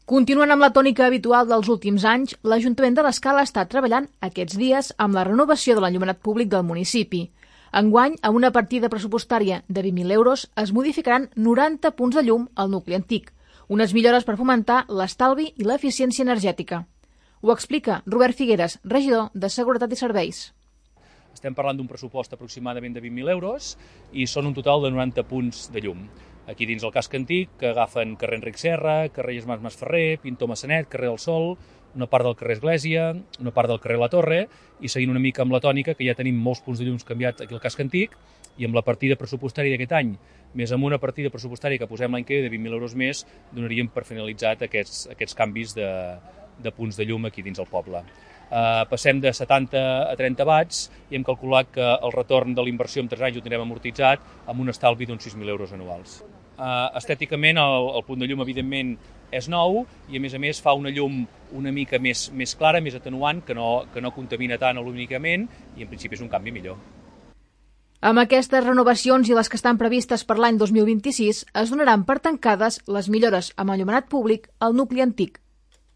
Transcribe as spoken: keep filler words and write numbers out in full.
Continuant amb la tònica habitual dels últims anys, l'Ajuntament de l'Escala està treballant aquests dies amb la renovació de l'enllumenat públic del municipi. Enguany, amb una partida pressupostària de vint mil euros, es modificaran noranta punts de llum al nucli antic, unes millores per fomentar l'estalvi i l'eficiència energètica. Ho explica Robert Figueres, regidor de Seguretat i Serveis. Estem parlant d'un pressupost aproximadament de vint mil euros i són un total de noranta punts de llum. Aquí dins el casc antic, que agafen carrer Enric Serra, carrer Germans Masferrer, Pintor Massanet, carrer del Sol, una part del carrer Església, una part del carrer La Torre, i seguint una mica amb la tònica, que ja tenim molts punts de llums canviats aquí al casc antic, i amb la partida pressupostària d'aquest any, més amb una partida pressupostària que posem l'any que ve de vint mil euros més, donaríem per finalitzat aquests, aquests canvis de, de punts de llum aquí dins el poble. Uh, passem de setanta a trenta watts i hem calculat que el retorn de l'inversió en tres anys ho tindrem amortitzat amb un estalvi d'uns sis mil euros anuals. Uh, estèticament el, el punt de llum evidentment és nou i a més a més fa una llum una mica més, més clara, més atenuant, que no, que no contamina tant lumínicament i en principi és un canvi millor. Amb aquestes renovacions i les que estan previstes per l'any dos mil vint-i-sis es donaran per tancades les millores amb enllumenat públic al nucli antic.